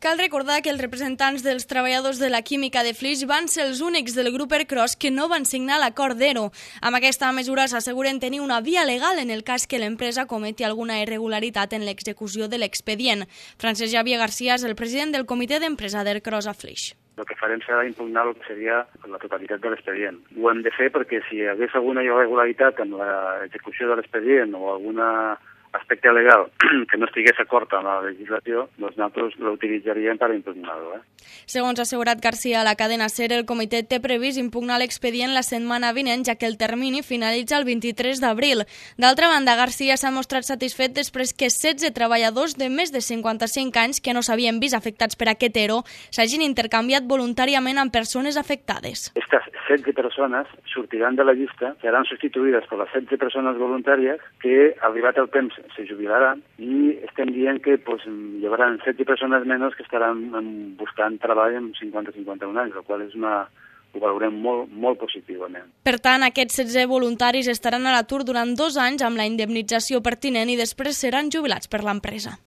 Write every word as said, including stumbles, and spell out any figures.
Cal recordar que els representants dels treballadors de la química de Flix van ser els únics del grup Ercros que no van signar l'acord d'Ero. Amb aquesta mesura s'asseguren tenir una via legal en el cas que l'empresa cometi alguna irregularitat en l'execució de l'expedient. Francesc Xavier García és el president del comitè d'empresa d'Ercros a Flix. El que farem serà impugnar el que seria la totalitat de l'expedient. Ho hem de fer perquè si hi hagués alguna irregularitat en l'execució de l'expedient o alguna aspecte legal que no estigués d'acord amb la legislació, doncs nosaltres l'utilitzaríem per impugnar-lo. Eh? Segons ha assegurat García a la cadena SER, el comitè té previst impugnar l'expedient la setmana vinent, ja que el termini finalitza el vint-i-tres d'abril. D'altra banda, García s'ha mostrat satisfet després que setze treballadors de més de cinquanta-cinc anys que no s'havien vist afectats per aquest ERO s'hagin intercanviat voluntàriament amb persones afectades. Estas setze persones sortiran de la llista, seran substituïdes per les setze persones voluntàries que, arribat el temps, se jubilaran i estem dient que pues, hi haurà setze persones menys que estaran buscant treball amb cinquanta a cinquanta-un anys, el qual és una, ho valorem molt, molt positivament. Per tant, aquests setze voluntaris estaran a l'atur durant dos anys amb la indemnització pertinent i després seran jubilats per l'empresa.